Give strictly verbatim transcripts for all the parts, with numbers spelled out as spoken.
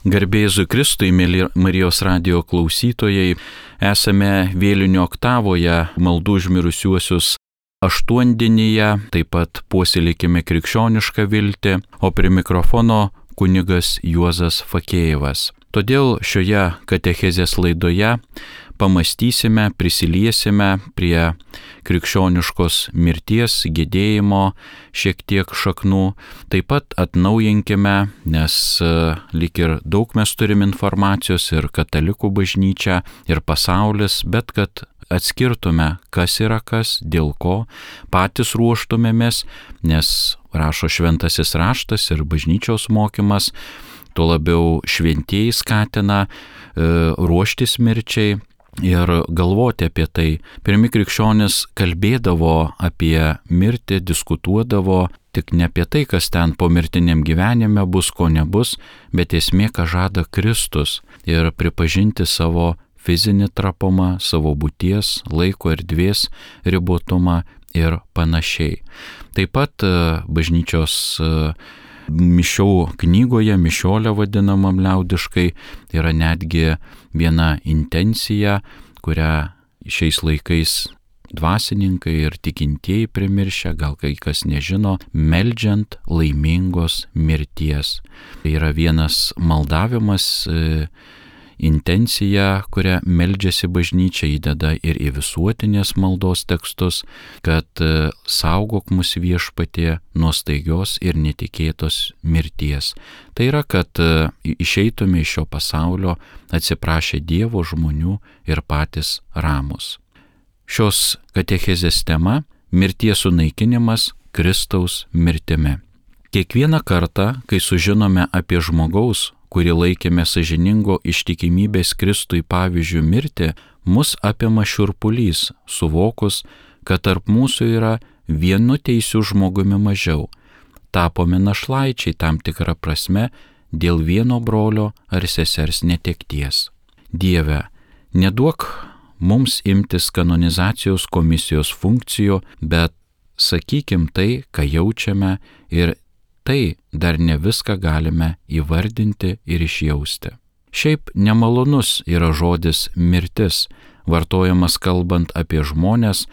Garbė Jėzui Kristui, mėly Marijos radijo klausytojai, esame vėlinių oktavoje maldų už mirusiuosius aštuondienyje, taip pat puoselėkime krikščionišką viltį, o prie mikrofono kunigas Juozas Fakėjevas. Todėl šioje katechezės laidoje pamastysime, prisiliesime prie krikščioniškos mirties, gedėjimo šiek tiek šaknų. Taip pat atnaujinkime, nes lyg ir daug mes turim informacijos ir katalikų bažnyčia, ir pasaulis, bet kad atskirtume, kas yra kas, dėl ko, patys ruoštumėmės, nes rašo šventasis raštas ir bažnyčios mokymas, tuo labiau šventieji skatina e, ruoštis mirčiai ir galvoti apie tai. Pirmi krikščionys kalbėdavo apie mirtį, diskutuodavo tik ne apie tai, kas ten po mirtiniam gyvenime bus, ko nebus, bet esmė, ką žada Kristus, ir pripažinti savo fizinį trapumą, savo būties, laiko erdvės ribotumą ir panašiai. Taip pat bažnyčios mišių knygoje, mišiolė vadinamam liaudiškai, yra netgi viena intencija, kurią šiais laikais dvasininkai ir tikintieji primiršę, gal kai kas nežino, meldžiant laimingos mirties. Tai yra vienas maldavimas, intencija, kurią meldžiasi bažnyčia, įdeda ir į visuotinės maldos tekstus, kad saugok mus Viešpatie nuo staigios ir netikėtos mirties. Tai yra, kad išeitume iš šio pasaulio atsiprašę Dievo, žmonių ir patys ramūs. Šios katechezės tema – mirties sunaikinimas Kristaus mirtimi. Kiekvieną kartą, kai sužinome apie žmogaus, kurį laikėme sąžiningo ištikimybės Kristui pavyzdžių mirtį, mus apima šiurpulys, suvokus, kad tarp mūsų yra vienu teisiu žmogumi mažiau. Tapome našlaičiai tam tikrą prasme dėl vieno brolio ar sesers netekties. Dieve, neduok mums imtis kanonizacijos komisijos funkcijų, bet sakykim tai, ką jaučiame, ir tai dar ne viską galime įvardinti ir išjausti. Šiaip nemalonus yra žodis mirtis, vartojamas kalbant apie žmones,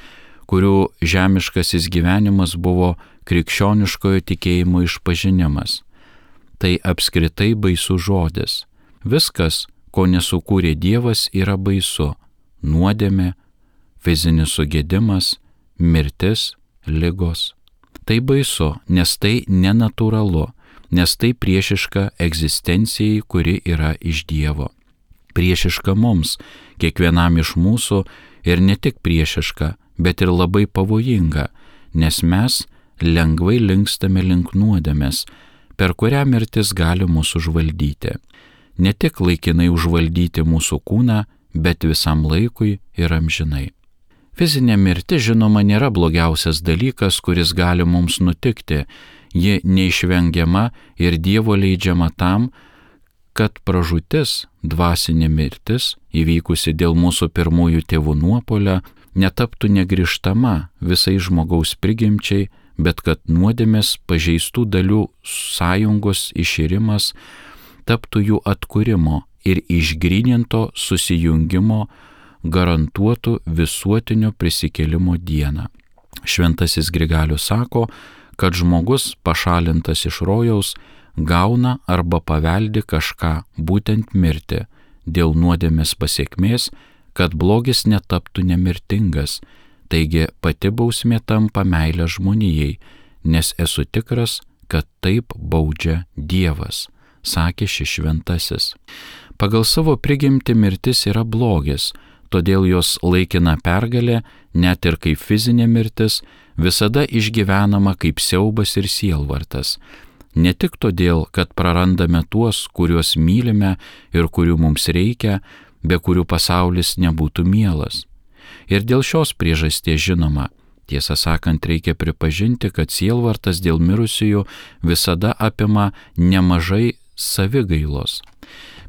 kurių žemiškasis gyvenimas buvo krikščioniškojo tikėjimo išpažinimas. Tai apskritai baisus žodis. Viskas, ko nesukūrė Dievas, yra baisu. Nuodėmė, fizinis sugedimas, mirtis, ligos. Tai baisu, nes tai nenatūralu, nes tai priešiška egzistencijai, kuri yra iš Dievo. Priešiška mums, kiekvienam iš mūsų, ir ne tik priešiška, bet ir labai pavojinga, nes mes lengvai linkstame link nuodėmės, per kurią mirtis gali mūsų užvaldyti. Ne tik laikinai užvaldyti mūsų kūną, bet visam laikui ir amžinai. Fizinė mirtis, žinoma, nėra blogiausias dalykas, kuris gali mums nutikti. Ji neišvengiama ir Dievo leidžiama tam, kad pražūtis, dvasinė mirtis, įvykusi dėl mūsų pirmųjų tėvų nuopuolio, netaptų negrįžtama visai žmogaus prigimčiai, bet kad nuodėmės pažeistų dalių sąjungos iširimas taptų jų atkūrimo ir išgryninto susijungimo garantuotų visuotinio prisikėlimo dieną. Šventasis Grigalius sako, kad žmogus pašalintas iš rojaus gauna arba paveldi kažką, būtent mirtį, dėl nuodėmės pasekmės, kad blogis netaptų nemirtingas. Taigi pati bausmė tampa meilė žmonijai, nes esu tikras, kad taip baudžia Dievas, sakė šis šventasis. Pagal savo prigimtį mirtis yra blogis, todėl jos laikina pergalė, net ir kaip fizinė mirtis, visada išgyvenama kaip siaubas ir sielvartas. Ne tik todėl, kad prarandame tuos, kuriuos mylime ir kurių mums reikia, be kurių pasaulis nebūtų mielas. Ir dėl šios priežasties žinoma, tiesą sakant, reikia pripažinti, kad sielvartas dėl mirusiųjų visada apima nemažai savigailos.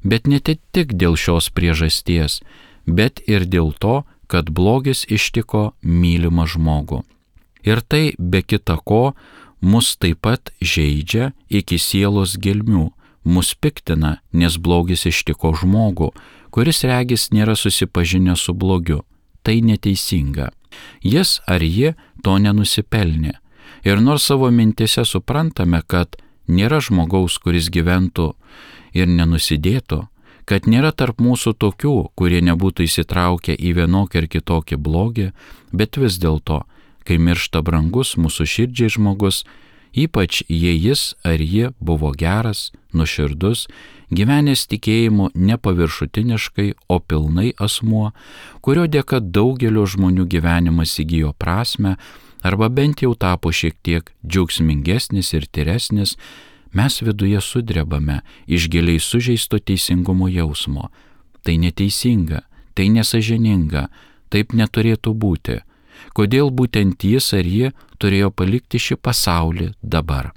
Bet ne tik dėl šios priežasties, bet ir dėl to, kad blogis ištiko mylimą žmogų. Ir tai be kita ko mus taip pat žeidžia iki sielos gelmių, mus piktina, nes blogis ištiko žmogų, kuris regis nėra susipažinęs su blogiu. Tai neteisinga. Jis ar ji to nenusipelnė. Ir nors savo mintise suprantame, kad nėra žmogaus, kuris gyventų ir nenusidėtų, kad nėra tarp mūsų tokių, kurie nebūtų įsitraukę į vienokį ar kitokį blogį, bet vis dėlto, kai miršta brangus mūsų širdžiai žmogus, ypač jei jis ar ji buvo geras, nuoširdus, gyvenęs tikėjimu nepaviršutiniškai, o pilnai asmuo, kurio dėka daugelio žmonių gyvenimas įgijo prasmę arba bent jau tapo šiek tiek džiaugsmingesnis ir tyresnis, mes viduje sudrebame iš giliai sužeisto teisingumo jausmo. Tai neteisinga, tai nesąžininga, taip neturėtų būti. Kodėl būtent jis ar ji turėjo palikti šį pasaulį dabar?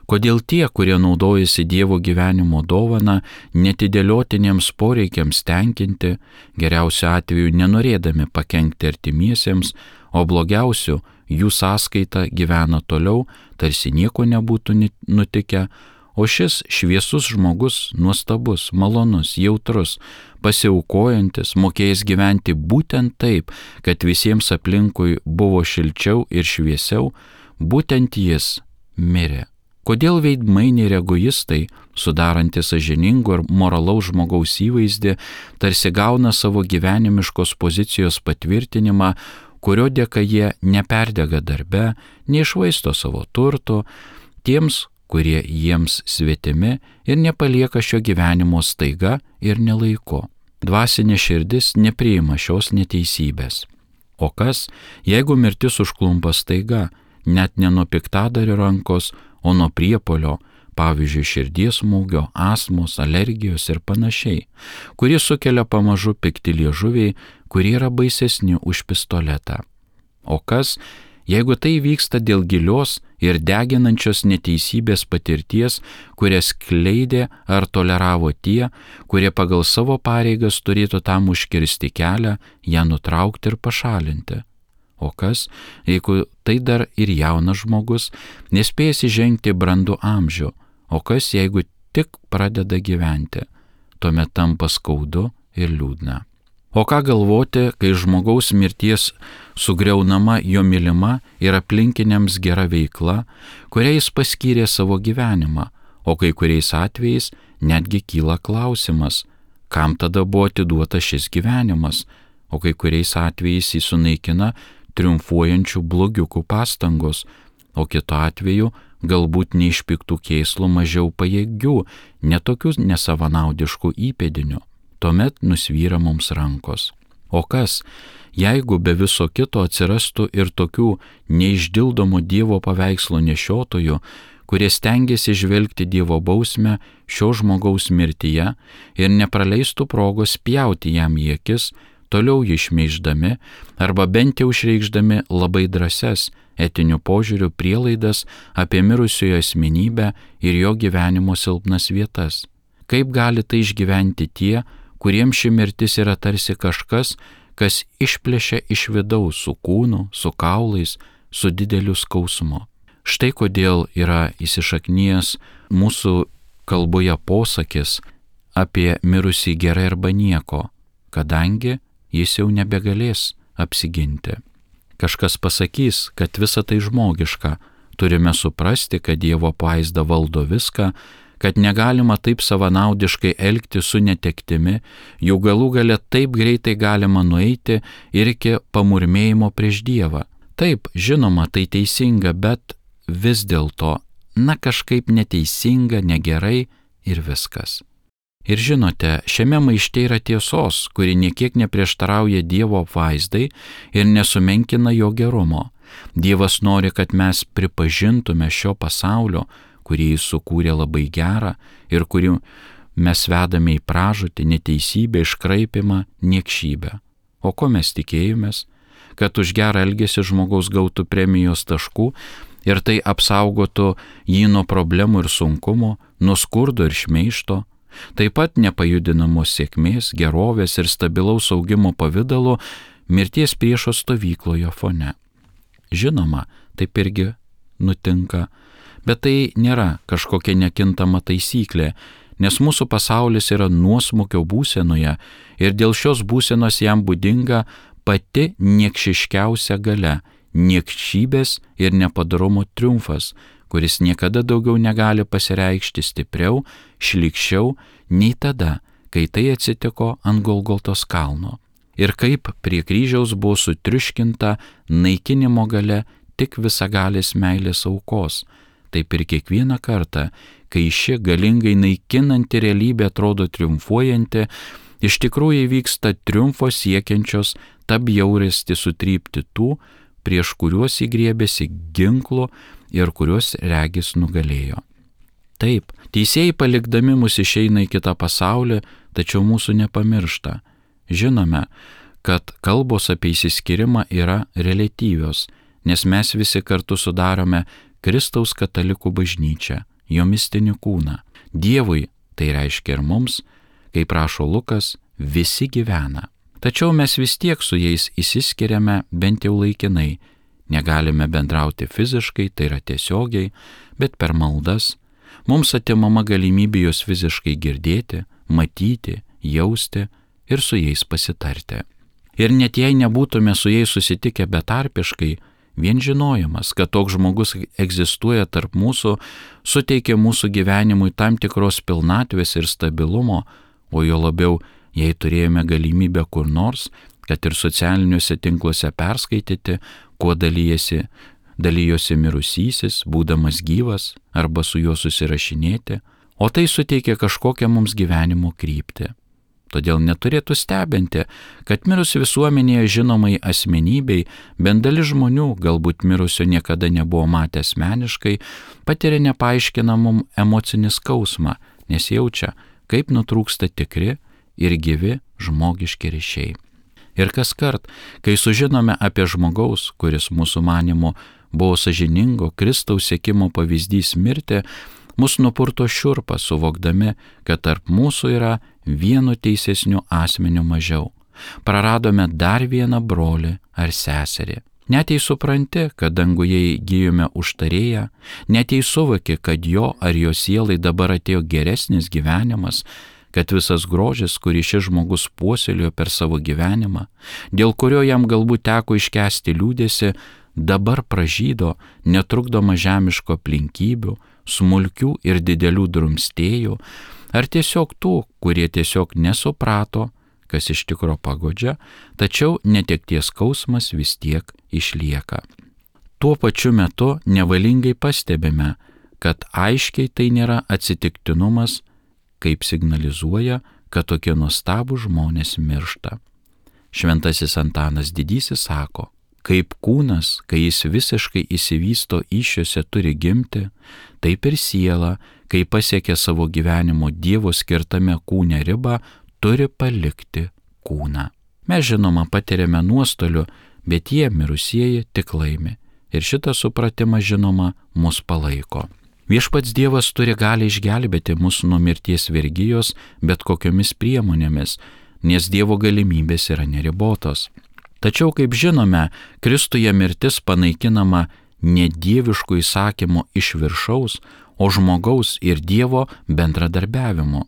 Kodėl tie, kurie naudojasi Dievo gyvenimo dovana, netidėliotiniems poreikiams tenkinti, geriausiu atveju nenorėdami pakenkti artimiesiems, o blogiausiu jų sąskaita gyvena toliau, tarsi nieko nebūtų nutikę, o šis šviesus žmogus, nuostabus, malonus, jautrus, pasiaukojantis, mokėjęs gyventi būtent taip, kad visiems aplinkui buvo šilčiau ir šviesiau, būtent jis mirė. Kodėl veidmainiai ir egoistai, sudarantis sąžiningo ir moralaus žmogaus įvaizdį, tarsi gauna savo gyvenimiškos pozicijos patvirtinimą, kurio dėka jie neperdega darbe, neišvaisto savo turtų, tiems, kurie jiems svetimi ir nepalieka šio gyvenimo staiga ir nelaiku. Dvasinė širdis nepriima šios neteisybės. O kas, jeigu mirtis užklumpa staiga, net ne nuo piktadario rankos, o nuo priepuolio, pavyzdžiui, širdies smūgio, astmos, alergijos ir panašiai, kurie sukelia pamažu pikti liežuviai, kurie yra baisesni už pistoletą. O kas, jeigu tai vyksta dėl gilios ir deginančios neteisybės patirties, kurias kleidė ar toleravo tie, kurie pagal savo pareigas turėtų tam užkirsti kelią, ją nutraukti ir pašalinti? O kas, jeigu tai dar ir jaunas žmogus, nespėjęs įžengti brandų amžių, o kas, jeigu tik pradeda gyventi, tuomet tampa skaudu ir liūdna. O ką galvoti, kai žmogaus mirties sugriaunama jo mylima ir aplinkiniams gera veikla, kurią jis paskyrė savo gyvenimą, o kai kuriais atvejais netgi kyla klausimas, kam tada buvo atiduotas šis gyvenimas, o kai kuriais atvejais jis sunaikina triumfuojančių blogiukų pastangos, o kitu atveju galbūt neišpiktų kėslų mažiau pajėgių, netokių nesavanaudiškų įpėdinių. Tuomet nusvyra mums rankos. O kas, jeigu be viso kito atsirastų ir tokių neišdildomų Dievo paveikslo nešiotojų, kurie stengiasi žvelgti Dievo bausmę šio žmogaus mirtyje ir nepraleistų progos pjauti jam į akis, toliau jį šmeiždami arba bent jau išreikšdami labai drąsias etinių požiūrių prielaidas apie mirusiojo asmenybę ir jo gyvenimo silpnas vietas. Kaip gali tai išgyventi tie, kuriems ši mirtis yra tarsi kažkas, kas išplėšia iš vidaus su kūnu, su kaulais, su dideliu skausmu? Štai kodėl yra įsišaknijęs mūsų kalboje posakis apie mirusį gerai arba nieko, kadangi jis jau nebegalės apsiginti. Kažkas pasakys, kad visa tai žmogiška, turime suprasti, kad Dievo apvaizda valdo viską, kad negalima taip savanaudiškai elgti su netektimi, jų galų gale taip greitai galima nueiti ir iki pamurmėjimo prieš Dievą. Taip, žinoma, tai teisinga, bet vis dėlto, na kažkaip neteisinga, negerai ir viskas. Ir žinote, šiame maište yra tiesos, kuri niekiek neprieštarauja Dievo apvaizdai ir nesumenkina jo gerumo. Dievas nori, kad mes pripažintume šio pasaulio, kurį jis sukūrė labai gerą ir kurį mes vedame į pražūtį, neteisybę, iškraipimą, niekšybę. O ko mes tikėjomės? Kad už gerą elgesį žmogaus gautų premijos taškų ir tai apsaugotų jį nuo problemų ir sunkumo, nuo skurdo ir šmeižto, taip pat nepajudinamos sėkmės, gerovės ir stabilaus augimo pavidalo mirties priešo stovykloje fone. Žinoma, taip irgi nutinka, Bet tai nėra kažkokia nekintama taisyklė, nes mūsų pasaulis yra nuosmukio būsenoje ir dėl šios būsenos jam būdinga pati niekšiškiausia galia, niekšybės ir nepadarumo triumfas, kuris niekada daugiau negali pasireikšti stipriau, šlykščiau nei tada, kai tai atsitiko ant Golgotos kalno. Ir kaip prie kryžiaus buvo sutriuškinta naikinimo galia tik visagalės meilės aukos, taip ir kiekvieną kartą, kai ši galingai naikinanti realybė atrodo triumfuojanti, iš tikrųjų įvyksta triumfo siekiančios tą bjaurastį sutrypti tų, prieš kuriuos įgriebėsi ginklu ir kuriuos regis nugalėjo. Taip, teisėjai palikdami mus išeina į kitą pasaulį, tačiau mūsų nepamiršta. Žinome, kad kalbos apie išsiskyrimą yra reliatyvios, nes mes visi kartu sudarome Kristaus katalikų bažnyčią, jo mistinį kūną. Dievui, tai reiškia ir mums, kaip rašo Lukas, visi gyvena. Tačiau mes vis tiek su jais išsiskiriame bent jau laikinai. Negalime bendrauti fiziškai, tai yra tiesiogiai, bet per maldas. Mums atimama galimybė juos fiziškai girdėti, matyti, jausti ir su jais pasitarti. Ir net jei nebūtume su jais susitikę betarpiškai, vien žinojimas, kad toks žmogus egzistuoja tarp mūsų, suteikia mūsų gyvenimui tam tikros pilnatvės ir stabilumo, o jo labiau, jei turėjome galimybę kur nors, kad ir socialiniuose tinkluose perskaityti, kuo dalyjasi, dalyjosi mirusysis, būdamas gyvas, arba su juo susirašinėti, o tai suteikia kažkokią mums gyvenimo kryptį. Todėl neturėtų stebinti, kad mirus visuomenėje žinomai asmenybei, bent dalis žmonių, galbūt mirusio niekada nebuvo matę asmeniškai, patiria nepaaiškinamum emocinį skausmą, nes jaučia, kaip nutrūksta tikri ir gyvi žmogiški ryšiai. Ir kaskart, kai sužinome apie žmogaus, kuris mūsų manymu buvo sąžiningo Kristaus sekimo pavyzdys mirti, mus nupurto šiurpa suvokdami, kad tarp mūsų yra vienu teisesniu asmeniu mažiau. Praradome dar vieną brolį ar seserį. Net jei supranti, kad danguje įgijome užtarėją, net jei suvoki, kad jo ar jo sielai dabar atėjo geresnis gyvenimas, kad visas grožis, kurį šis žmogus puoselėjo per savo gyvenimą, dėl kurio jam galbūt teko iškęsti liūdėsi, dabar pražydo, netrukdoma žemiško aplinkybių, smulkių ir didelių drumstėjų, ar tiesiog tų, kurie tiesiog nesuprato, kas iš tikro pagodžia, tačiau netekties skausmas vis tiek išlieka. Tuo pačiu metu nevalingai pastebime, kad aiškiai tai nėra atsitiktinumas, kaip signalizuoja, kad tokie nuostabūs žmonės miršta. Šventasis Antanas Didysis sako, kaip kūnas, kai jis visiškai išsivysto įsčiose turi gimti, taip ir siela, kai pasiekia savo gyvenimo Dievo skirtame kūne ribą, turi palikti kūną. Mes žinoma patiriame nuostolių, bet jie mirusieji tik laimi. Ir šitą supratimą žinoma mus palaiko. Viešpats Dievas turi gali išgelbėti mus nuo mirties vergijos bet kokiomis priemonėmis, nes Dievo galimybės yra neribotos. Tačiau, kaip žinome, Kristuje mirtis panaikinama ne dieviškų įsakymų iš viršaus, o žmogaus ir Dievo bendradarbiavimu.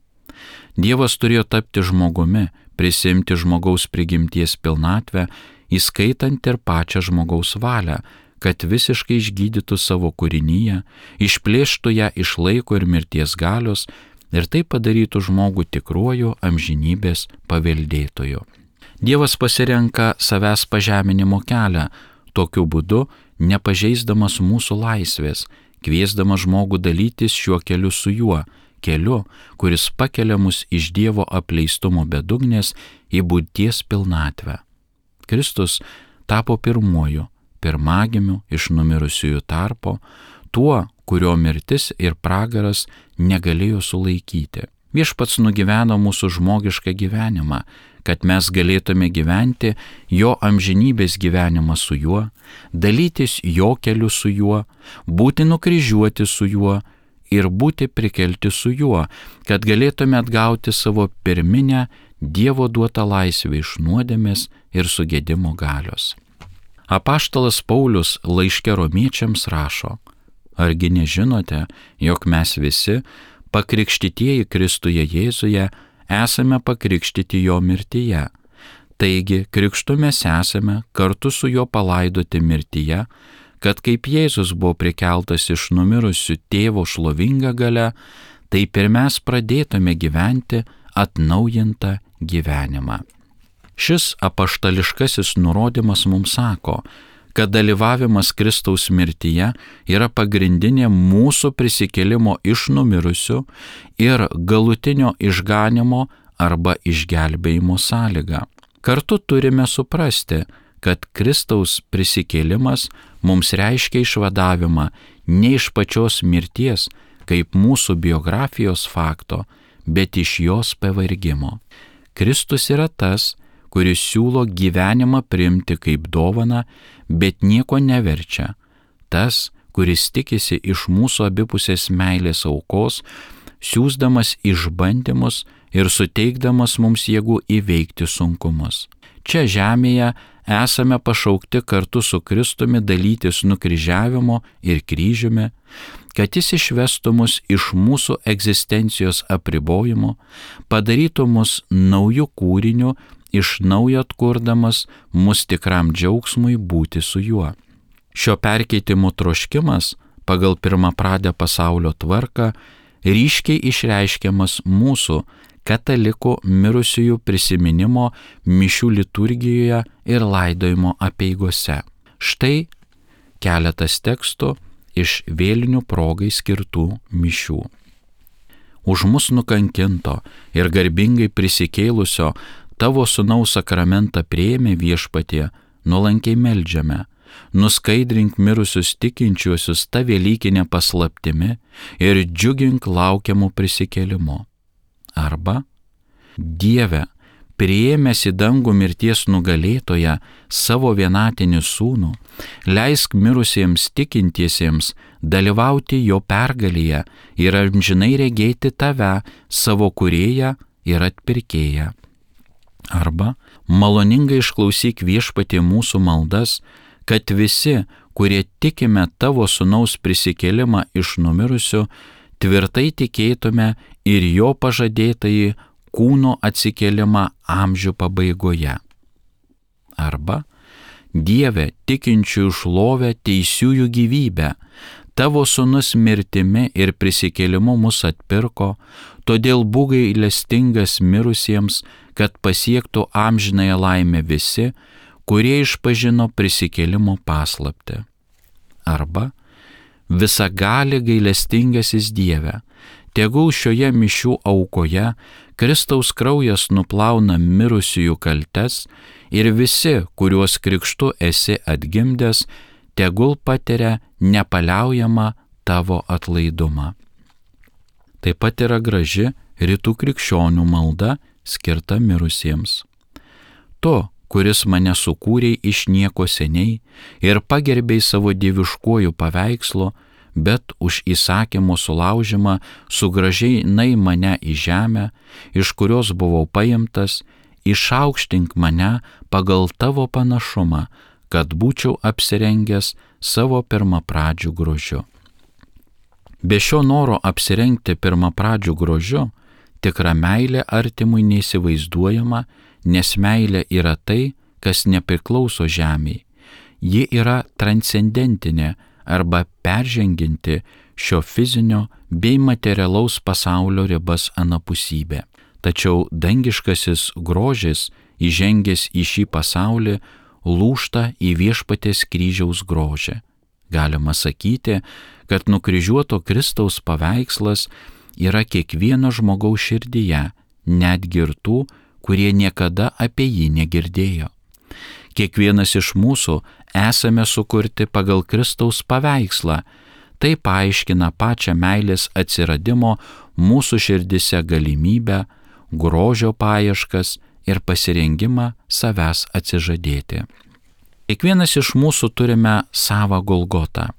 Dievas turėjo tapti žmogumi, prisimti žmogaus prigimties pilnatvę, įskaitant ir pačią žmogaus valią, kad visiškai išgydytų savo kūrinyje, išplėštų ją iš laiko ir mirties galios ir tai padarytų žmogų tikruoju amžinybės paveldėtoju. Dievas pasirenka savęs pažeminimo kelią, tokiu būdu nepažeisdamas mūsų laisvės, kviesdamas žmogų dalytis šiuo keliu su juo, keliu, kuris pakelia mus iš Dievo apleistumo bedugnės į būties pilnatvę. Kristus tapo pirmuoju, pirmagimiu iš numirusiųjų tarpo, tuo, kurio mirtis ir pragaras negalėjo sulaikyti. Viešpats nugyveno mūsų žmogišką gyvenimą, kad mes galėtume gyventi jo amžinybės gyvenimą su juo, dalytis jo keliu su juo, būti nukryžiuoti su juo ir būti prikelti su juo, kad galėtume atgauti savo pirminę Dievo duotą laisvę iš nuodėmės ir sugėdimo galios. Apaštalas Paulius laiške Romiečiams rašo, Argi nežinote, jog mes visi, pakrikštytieji Kristuje Jėzuje, esame pakrikštyti jo mirtyje. Taigi, krikštu mes esame kartu su juo palaidoti mirtyje, kad kaip Jėzus buvo prikeltas iš numirusių tėvo šlovinga galia, taip ir mes pradėtume gyventi atnaujintą gyvenimą. Šis apaštališkasis nurodymas mums sako, kad dalyvavimas Kristaus mirtyje yra pagrindinė mūsų prisikėlimo iš numirusių ir galutinio išganimo arba išgelbėjimo sąlyga. Kartu turime suprasti, kad Kristaus prisikėlimas mums reiškia išvadavimą ne iš pačios mirties, kaip mūsų biografijos fakto, bet iš jos pavargimo. Kristus yra tas, kuris siūlo gyvenimą priimti kaip dovaną, bet nieko neverčia. Tas, kuris tikisi iš mūsų abipusės meilės aukos, siūsdamas išbandymus ir suteikdamas mums jėgų įveikti sunkumus. Čia žemėje esame pašaukti kartu su Kristumi dalytis nukryžiavimo ir kryžiumi, kad jis išvestų mus iš mūsų egzistencijos apribojimo, padarytų mus naujų kūrinių, iš naujo atkurdamas mus tikram džiaugsmui būti su juo. Šio perkeitimo troškimas pagal pirmapradę pasaulio tvarką ryškiai išreiškiamas mūsų katalikų mirusiųjų prisiminimo mišių liturgijoje ir laidojimo apeigose. Štai keletas tekstų iš vėlinių progai skirtų mišių. Už mus nukankinto ir garbingai prisikėlusio tavo sūnaus sakramentą priėmė Viešpatie, nuolankiai meldžiame, nuskaidrink mirusius tikinčiuosius ta velykinė paslaptimi ir džiugink laukiamų prisikėlimo. Arba, Dieve, priėmęs į dangų mirties nugalėtoją savo vienatinį sūnų, leisk mirusiems tikintiesiems dalyvauti jo pergalėje ir amžinai regėti tave, savo kūrėją ir atpirkėją. Arba, maloningai išklausyk Viešpatie mūsų maldas, kad visi, kurie tikime tavo sūnaus prisikėlimą iš numirusių, tvirtai tikėtume ir jo pažadėtąjį kūno atsikėlimą amžių pabaigoje. Arba, Dieve, tikinčiųjų šlovę, teisiųjų gyvybę, tavo sūnus mirtimi ir prisikėlimu mus atpirko, todėl būk gailestingas mirusiems, kad pasiektų amžinąją laimę visi, kurie išpažino prisikėlimo paslaptį. Arba, visagali gailestingasis Dieve, tegul šioje mišių aukoje Kristaus kraujas nuplauna mirusiųjų kaltes ir visi, kuriuos krikštu esi atgimdęs, tegul patiria nepaliaujamą tavo atlaidumą. Taip pat yra graži rytų krikščionių malda skirta mirusiems. Tu, kuris mane sukūrei iš nieko seniai ir pagerbei savo dieviškuoju paveikslu, bet už įsakymo sulaužimą sugrąžinai mane į žemę, iš kurios buvau paimtas, išaukštink mane pagal tavo panašumą, kad būčiau apsirengęs savo pirmapradžių grožiu. Be šio noro apsirengti pirmapradžių grožiu, tikra meilė artimui neįsivaizduojama, nes meilė yra tai, kas nepriklauso žemei. Ji yra transcendentinė arba perženginti šio fizinio bei materialaus pasaulio ribas anapusybė. Tačiau dangiškasis grožis, įžengęs į šį pasaulį, lūžta į Viešpaties kryžiaus grožį. Galima sakyti, kad nukryžiuoto Kristaus paveikslas yra kiekvieno žmogaus širdyje, netgi ir tų, kurie niekada apie jį negirdėjo. Kiekvienas iš mūsų esame sukurti pagal Kristaus paveikslą. Tai paaiškina pačią meilės atsiradimo mūsų širdise galimybę, grožio paieškas ir pasirengimą savęs atsižadėti. Kiekvienas iš mūsų turime savą Golgotą.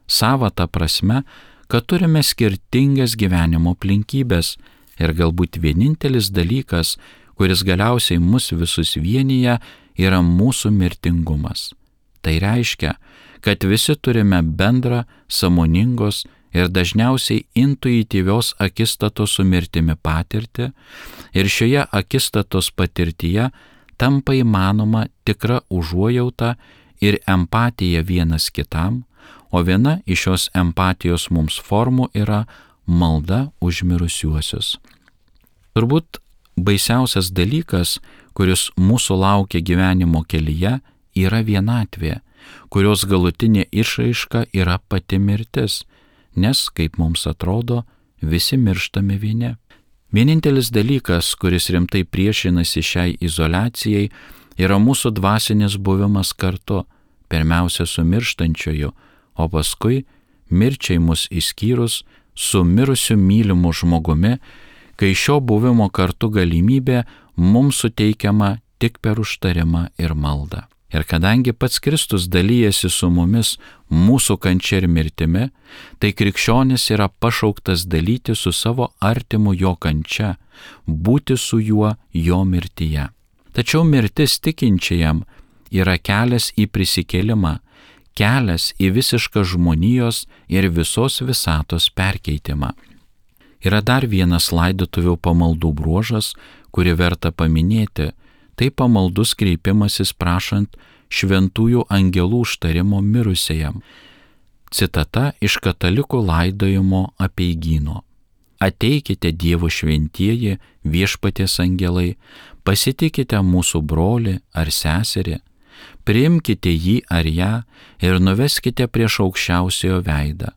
Savą ta prasme, kad turime skirtingas gyvenimo aplinkybės ir galbūt vienintelis dalykas, kuris galiausiai mus visus vienyje, yra mūsų mirtingumas. Tai reiškia, kad visi turime bendrą, sąmoningos ir dažniausiai intuityvios akistatos su mirtimi patirtį, ir šioje akistatos patirtyje tampa įmanoma tikra užuojauta ir empatija vienas kitam, o viena iš šios empatijos mums formų yra malda už mirusiuosius. Turbūt baisiausias dalykas, kuris mūsų laukia gyvenimo kelyje, yra vienatvė, kurios galutinė išraiška yra pati mirtis, nes, kaip mums atrodo, visi mirštame vieni. Vienintelis dalykas, kuris rimtai priešinasi šiai izoliacijai, yra mūsų dvasinis buvimas kartu, pirmiausia su mirštančioju, o paskui mirčiai mus išskyrus su mirusiu mylimu žmogumi, kai šio buvimo kartu galimybė mums suteikiama tik per užtarimą ir maldą. Ir kadangi pats Kristus dalyjasi su mumis mūsų kančia ir mirtimi, tai krikščionis yra pašauktas dalyti su savo artimu jo kančia, būti su juo jo mirtyje. Tačiau mirtis tikinčiajam yra kelias į prisikėlimą, kelias į visišką žmonijos ir visos visatos perkeitimą. Yra dar vienas laidotuvių pamaldų bruožas, kurį verta paminėti, tai pamaldus kreipimasis prašant šventųjų angelų užtarimo mirusiajam. Citata iš katalikų laidojimo apeigyno. Ateikite Dievo šventieji, viešpaties angelai, pasitikite mūsų brolį ar seserį, priimkite jį ar ją ir nuveskite prieš aukščiausiojo veidą.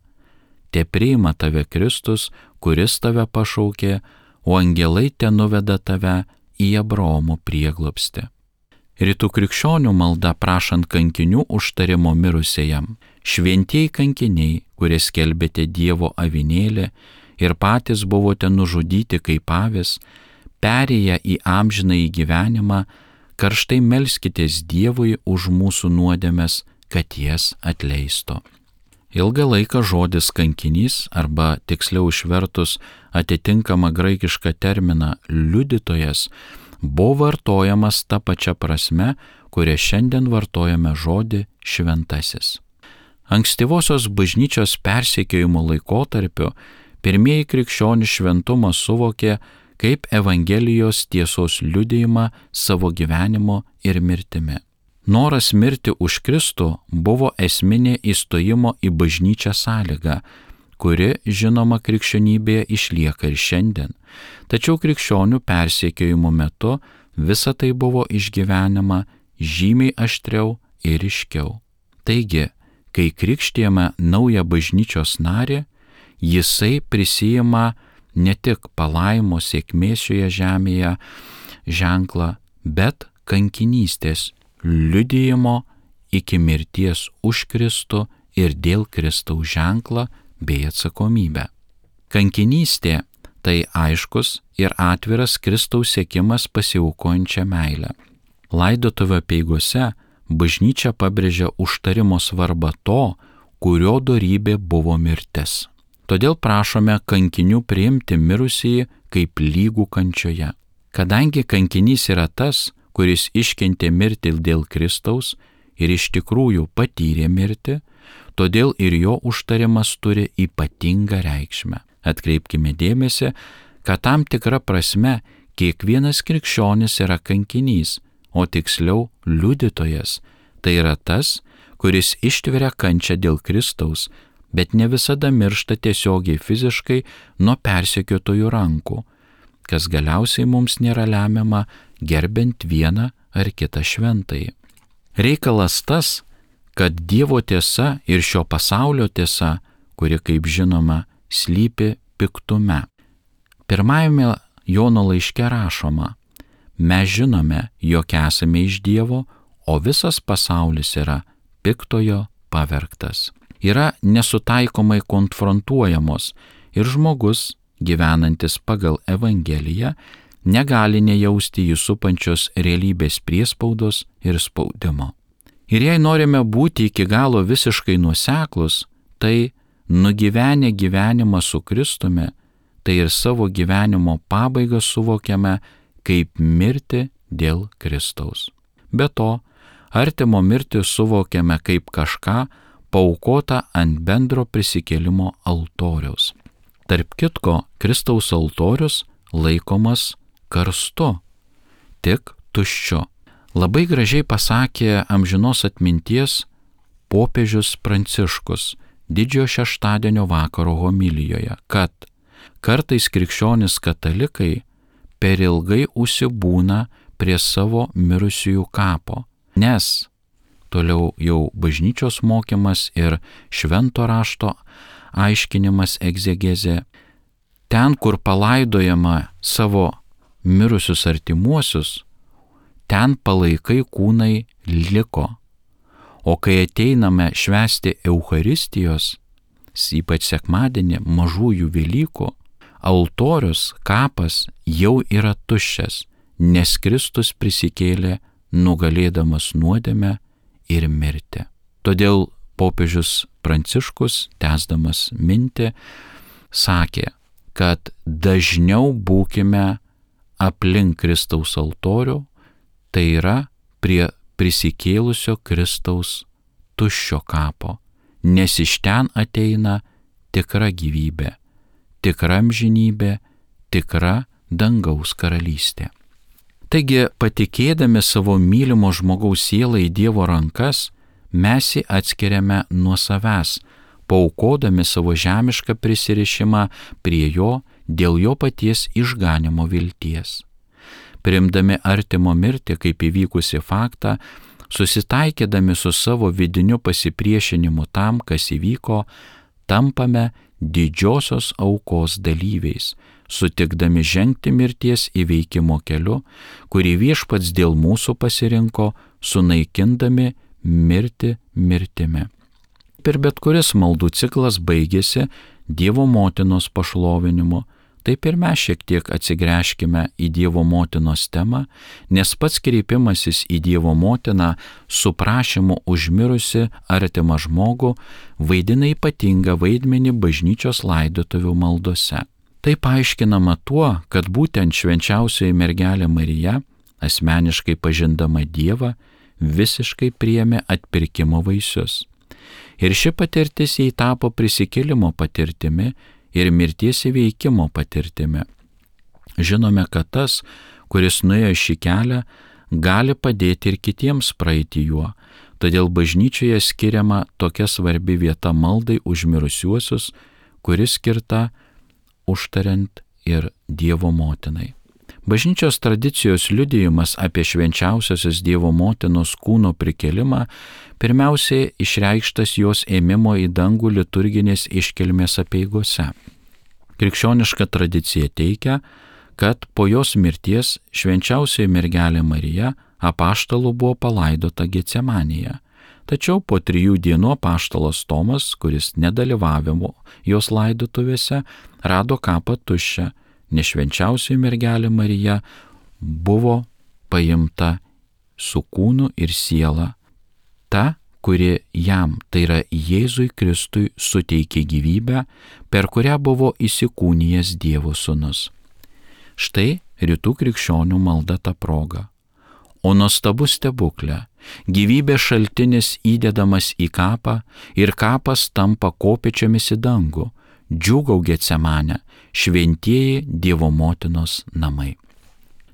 Te priima tave Kristus, kuris tave pašaukė, o angelai te nuveda tave į Abraomo prieglobstį. Rytų krikščionių malda prašant kankinių užtarimo mirusiajam. Šventieji kankiniai, kurie skelbėte Dievo avinėlį ir patys buvote nužudyti kaip avys, perėję į amžinąjį gyvenimą, karštai melskitės Dievui už mūsų nuodėmes, kad jas atleisto. Ilgą laiką žodis kankinys, arba tiksliau išvertus atitinkamą graikišką terminą liudytojas, buvo vartojamas ta pačia prasme, kuria šiandien vartojame žodį šventasis. Ankstyvosios bažnyčios persekiojimo laikotarpiu pirmieji krikščionys šventumą suvokė kaip Evangelijos tiesos liudijimą savo gyvenimo ir mirtimi. Noras mirti už Kristų buvo esminė įstojimo į bažnyčią sąlyga, kuri, žinoma, krikščionybėje išlieka ir šiandien. Tačiau krikščionių persekiojimo metu visa tai buvo išgyvenama žymiai aštriau ir ryškiau. Taigi, kai krikštijame naują bažnyčios narį, jisai prisijima ne tik palaimo sėkmės šioje žemėje ženklą, bet kankinystės liudijimo iki mirties už Kristų ir dėl Kristaus ženklą bei atsakomybę. Kankinystė tai aiškus ir atviras Kristaus siekimas pasiaukojančią meilę. Laidotuvių apeigose bažnyčia pabrėžia užtarimo svarbą to, kurio dorybė buvo mirtis. Todėl prašome kankinių priimti mirusįjį kaip lygų kančioje. Kadangi kankinys yra tas, kuris iškentė mirtį dėl Kristaus ir iš tikrųjų patyrė mirtį, todėl ir jo užtarimas turi ypatingą reikšmę. Atkreipkime dėmesį, kad tam tikra prasme kiekvienas krikščionis yra kankinys, o tiksliau liudytojas. Tai yra tas, kuris ištveria kančią dėl Kristaus, bet ne visada miršta tiesiogiai fiziškai nuo persekiotojų rankų, kas galiausiai mums nėra lemiama gerbent vieną ar kitą šventąjį. Reikalas tas, kad Dievo tiesa ir šio pasaulio tiesa, kuri, kaip žinoma, slypi piktume. Pirmajame Jono laiške rašoma: mes žinome, jog esame iš Dievo, o visas pasaulis yra piktojo pavergtas. Yra nesutaikomai konfrontuojamos ir žmogus, gyvenantis pagal Evangeliją, negali nejausti jį supančios realybės priespaudos ir spaudimo. Ir jei norime būti iki galo visiškai nuoseklus, tai nugyvenę gyvenimą su Kristumi, tai ir savo gyvenimo pabaigą suvokiame kaip mirtį dėl Kristaus. Be to, artimo mirtį suvokiame kaip kažką, paaukota ant bendro prisikėlimo altoriaus. Tarp kitko, Kristaus altorius laikomas karstu, tik tuščiu. Labai gražiai pasakė amžinos atminties popiežius Pranciškus Didžiojo šeštadienio vakaro homilijoje, kad kartais krikščionys katalikai per ilgai užsibūna prie savo mirusiųjų kapo, nes toliau jau bažnyčios mokymas ir švento rašto aiškinimas egzegezė, ten, kur palaidojama savo mirusius artimuosius, ten palaikai kūnai liko. O kai ateiname švęsti Eucharistijos, ypač sekmadienį, mažųjų Velykų, altorius, kapas jau yra tuščias, nes Kristus prisikėlė nugalėdamas nuodėmę ir mirtį. Todėl popiežius Pranciškus, tęsdamas mintį, sakė, kad dažniau būkime aplink Kristaus altorių, tai yra prie prisikėlusio Kristaus tuščio kapo, nes iš ten ateina tikra gyvybė, tikra amžinybė, tikra dangaus karalystė. Taigi, patikėdami savo mylimo žmogaus sielą į Dievo rankas, mes jį atskiriame nuo savęs, paaukodami savo žemišką prisirišimą prie jo dėl jo paties išganimo vilties. Priimdami artimo mirtį kaip įvykusi faktą, susitaikydami su savo vidiniu pasipriešinimu tam, kas įvyko, tampame didžiosios aukos dalyviais, sutikdami žengti mirties įveikimo keliu, kurį Viešpats dėl mūsų pasirinko, sunaikindami mirtį mirtimi. Per bet kuris maldų ciklas baigėsi Dievo motinos pašlovinimu, taip ir mes šiek tiek atsigręžkime į Dievo motinos temą, nes pats kreipimasis į Dievo motiną su prašymu užmirusi artimą žmogų vaidina ypatingą vaidmenį bažnyčios laidotuvių maldose. Tai paaiškinama tuo, kad būtent švenčiausioji mergelė Marija, asmeniškai pažindama Dievą, visiškai priėmė atpirkimo vaisius. Ir ši patirtis jai tapo prisikėlimo patirtimi ir mirties įveikimo patirtimi. Žinome, kad tas, kuris nuėjo šį kelią, gali padėti ir kitiems praeiti juo, todėl bažnyčioje skiriama tokia svarbi vieta maldai už mirusiuosius, kuris skirta užtariant ir Dievo motinai. Bažnyčios tradicijos liudijimas apie švenčiausiosios Dievo motinos kūno prikėlimą pirmiausiai išreikštas jos ėmimo į dangų liturginės iškilmės apeigose. Krikščioniška tradicija teigia, kad po jos mirties švenčiausioji mergelė Marija apaštalų buvo palaidota Getsemanėje. Tačiau po trijų dienų apaštalas Tomas, kuris nedalyvavo jos laidotuvėse, rado kapą tuščią, nes švenčiausioji mergelė Marija buvo paimta su kūnu ir siela, ta, kuri jam, tai yra Jėzui Kristui, suteikė gyvybę, per kurią buvo įsikūnijęs Dievo sūnus. Štai rytų krikščionių malda ta proga. O nuostabus stebuklė, gyvybės šaltinis įdedamas į kapą ir kapas tampa kopėčiomis į dangų, džiūgau Getsemanę, šventieji Dievo motinos namai.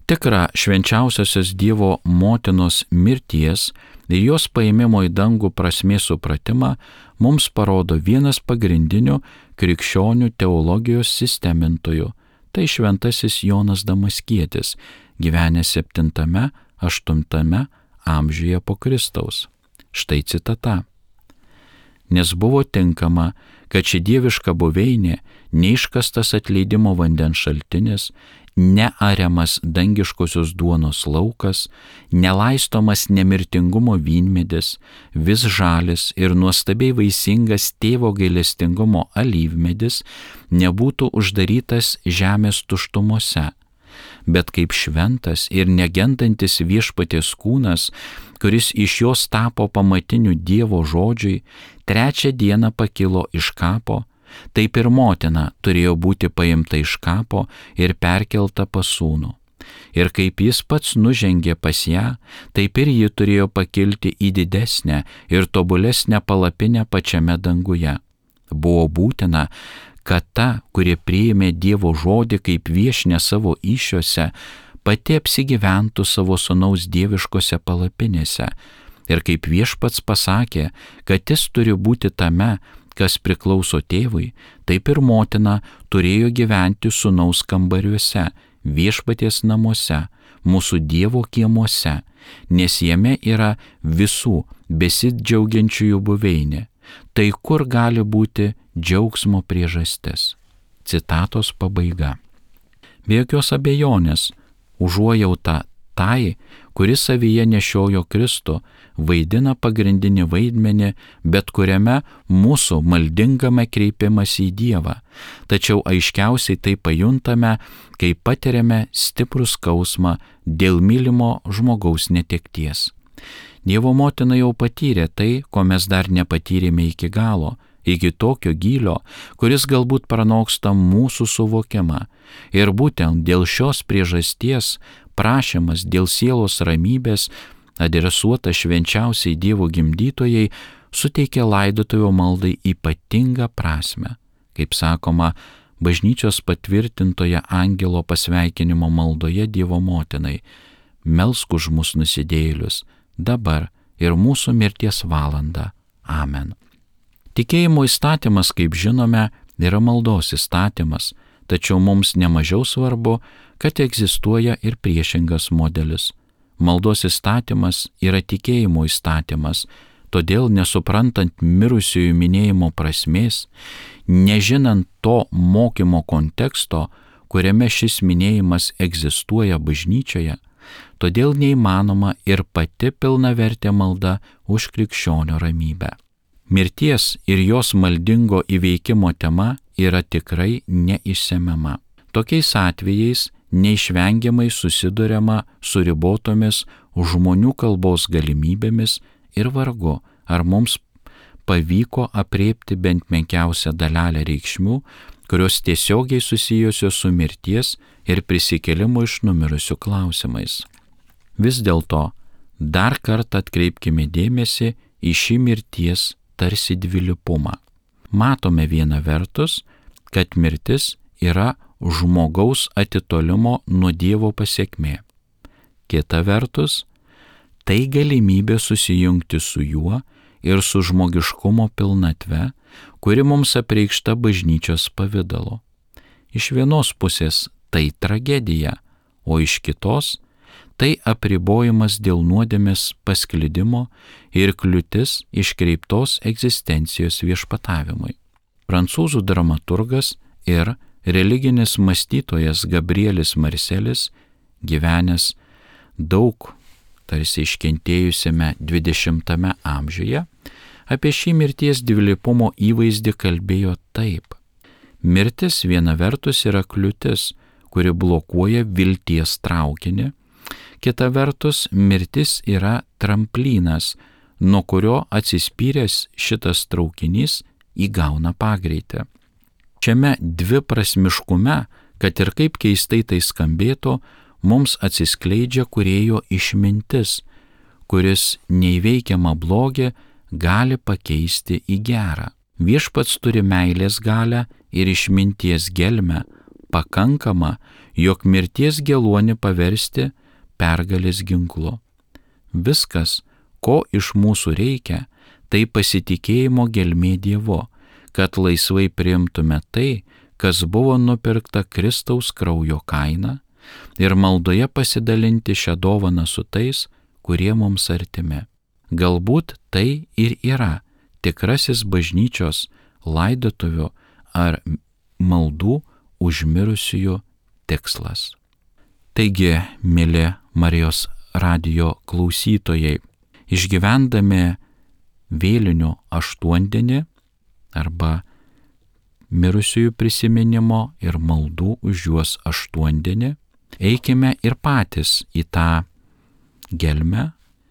Tikra švenčiausiosios Dievo motinos mirties ir jos paėmimo į dangų prasmės supratimą mums parodo vienas pagrindinių krikščionių teologijos sistemintojų, tai šventasis Jonas Damaskietis, gyvenęs septintame aštuntame amžiuje po Kristaus. Štai citata. Nes buvo tinkama, kad ši dieviška buveinė, neiškastas atleidimo vandens šaltinis, neariamas dangiškosios duonos laukas, nelaistomas nemirtingumo vynmedis, vis žalis ir nuostabiai vaisingas tėvo gailestingumo alyvmedis nebūtų uždarytas žemės tuštumose, bet kaip šventas ir negendantis viešpaties kūnas, kuris iš jos tapo pamatiniu Dievo žodžiui, trečią dieną pakilo iš kapo, taip ir motina turėjo būti paimta iš kapo ir perkelta pas sūnų. ir kaip jis pats nužengė pas ją, taip ir ji turėjo pakilti į didesnę ir tobulesnę palapinę pačiame danguje. Buvo būtina, kad ta, kuri priėmė Dievo žodį kaip viešne savo įsčiose, pati apsigyventų savo sūnaus dieviškose palapinėse. Ir kaip Viešpats pasakė, kad jis turi būti tame, kas priklauso tėvui, taip ir motina turėjo gyventi sūnaus kambariuose, Viešpaties namuose, mūsų Dievo kiemuose, nes jame yra visų besidžiaugiančiųjų buveinė. Tai kur gali būti džiaugsmo priežastis? Citatos pabaiga. Be jokios abejonės, užuojauta tai, kuris savyje nešiojo Kristų, vaidina pagrindinį vaidmenį bet kuriame mūsų maldingame kreipimąsi į Dievą, tačiau aiškiausiai tai pajuntame, kai patiriame stiprų skausmą dėl mylimo žmogaus netekties. Dievo motina jau patyrė tai, ko mes dar nepatyrėme iki galo, iki tokio gylio, kuris galbūt pranoksta mūsų suvokimą. Ir būtent dėl šios priežasties prašymas dėl sielos ramybės, adresuotas švenčiausiai Dievo gimdytojai, suteikia laidotuvių maldai ypatingą prasme. Kaip sakoma, bažnyčios patvirtintoje angelo pasveikinimo maldoje Dievo motinai: melsk už mus nusidėjėlius, dabar ir mūsų mirties valandą. Amen. Tikėjimo įstatymas, kaip žinome, yra maldos įstatymas, tačiau mums nemažiau svarbu, kad egzistuoja ir priešingas modelis. Maldos įstatymas yra tikėjimo įstatymas, todėl nesuprantant mirusiųjų minėjimo prasmės, nežinant to mokymo konteksto, kuriame šis minėjimas egzistuoja bažnyčioje, todėl neįmanoma ir pati pilnavertė malda už krikščionio ramybę. Mirties ir jos maldingo įveikimo tema yra tikrai neišsemiama. Tokiais atvejais neišvengiamai susiduriama su ribotomis žmonių kalbos galimybėmis ir vargu, ar mums pavyko apriepti bent menkiausią dalelę reikšmių, kurios tiesiogiai susijusios su mirties ir prisikėlimo iš numirusių klausimais. Vis dėlto, dar kartą atkreipkime dėmesį į šį mirties tarsi dvilypumą. Matome viena vertus, kad mirtis yra žmogaus atitolimo nuo Dievo pasekmė. Kita vertus, tai galimybė susijungti su juo ir su žmogiškumo pilnatve, kuri mums apreikšta bažnyčios pavidalu. Iš vienos pusės tai tragedija, o iš kitos tai apribojimas dėl nuodėmės pasklidimo ir kliūtis iškreiptos egzistencijos viešpatavimui. Prancūzų dramaturgas ir religinis mąstytojas Gabrielis Marselis, gyvenęs daug tarsi iškentėjusiame dvidešimtame amžiuje, apie šį mirties dvilypumo įvaizdį kalbėjo taip: mirtis viena vertus yra kliūtis, kuri blokuoja vilties traukinį, kita vertus mirtis yra tramplynas, nuo kurio atsispyręs šitas traukinys įgauna pagreitį. Šiame dviprasmiškume, kad ir kaip keistai tai skambėtų, mums atsiskleidžia Kūrėjo išmintis, kuris neįveikiamą blogį gali pakeisti į gerą. Viešpats turi meilės galią ir išminties gelmę, pakankamą, jog mirties geluonį paversti pergalės ginklu. Viskas, ko iš mūsų reikia, tai pasitikėjimo gelmė Dievu, kad laisvai priimtume tai, kas buvo nupirkta Kristaus kraujo kaina, ir maldoje pasidalinti šią dovaną su tais, kurie mums artimi. Galbūt tai ir yra tikrasis bažnyčios laidotuvių ar maldų už mirusiųjų tikslas. Taigi, mėly Marijos radijo klausytojai, išgyvendami vėlinių aštuondienį arba mirusiųjų prisiminimo ir maldų už juos aštuondienį, eikime ir patys į tą gelmę,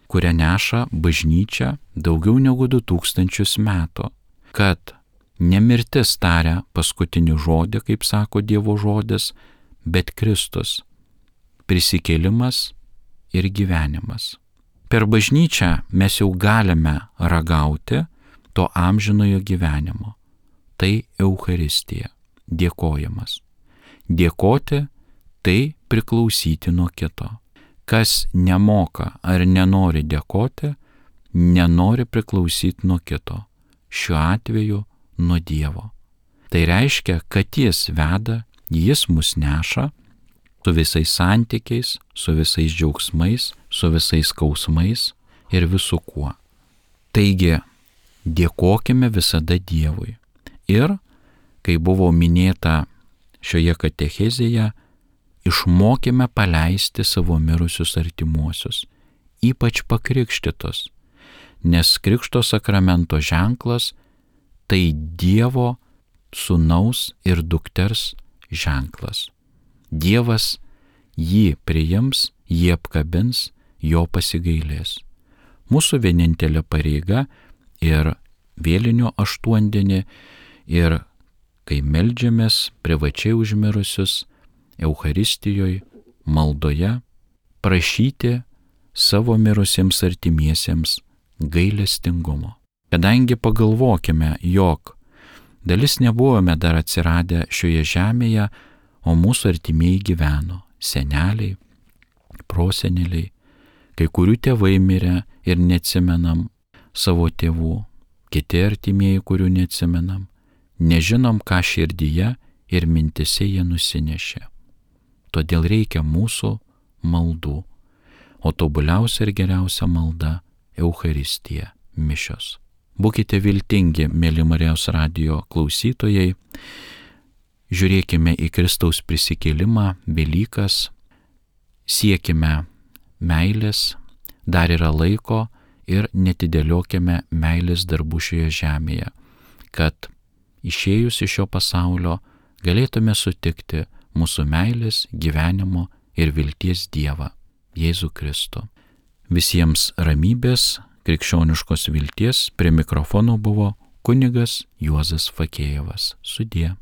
kurią neša bažnyčia daugiau negu du tūkstančius metų, kad ne mirtis taria paskutinį žodį, kaip sako Dievo žodis, bet Kristus. prisikėlimas ir gyvenimas. Per bažnyčią mes jau galime ragauti to amžinojo gyvenimo. Tai Eucharistija, dėkojimas. Dėkoti tai priklausyti nuo kito. Kas nemoka ar nenori dėkoti, nenori priklausyti nuo kito. Šiuo atveju nuo Dievo. Tai reiškia, kad Jis veda, Jis mus neša su visais santykiais, su visais džiaugsmais, su visais skausmais ir visu kuo. Taigi, dėkokime visada Dievui. Ir, kai buvo minėta šioje katechezėje, išmokime paleisti savo mirusius artimuosius, ypač pakrikštytus, nes krikšto sakramento ženklas tai Dievo sūnaus ir dukters ženklas. Dievas jį priims, jį apkabins, jo pasigailės. Mūsų vienintelė pareiga ir vėlinio aštuondienį, ir kai meldžiamės privačiai užmirusius, Eucharistijoje, maldoje, prašyti savo mirusiems artimiesiems gailestingumo. Kadangi pagalvokime, jog dalis nebuvome dar atsiradę šioje žemėje, o mūsų artimieji gyveno, seneliai, proseneliai, kai kurių tėvai mirė ir neatsimenam savo tėvų, kiti artimieji, kurių neatsimenam, nežinom, ką širdyje ir mintise jie nusinešė. Todėl reikia mūsų maldų, o tobuliausia ir geriausia malda – Eucharistija, mišios. Būkite viltingi, mėly Marijos radijo klausytojai, žiūrėkime į Kristaus prisikėlimą, Velykas, siekime meilės, dar yra laiko ir netidėliokime meilės darbų šioje žemėje, kad išėjus iš šio pasaulio galėtume sutikti mūsų meilės, gyvenimo ir vilties Dievą, Jėzų Kristų. Visiems ramybės, krikščioniškos vilties, prie mikrofono buvo kunigas Juozas Fakėjevas. Sudie.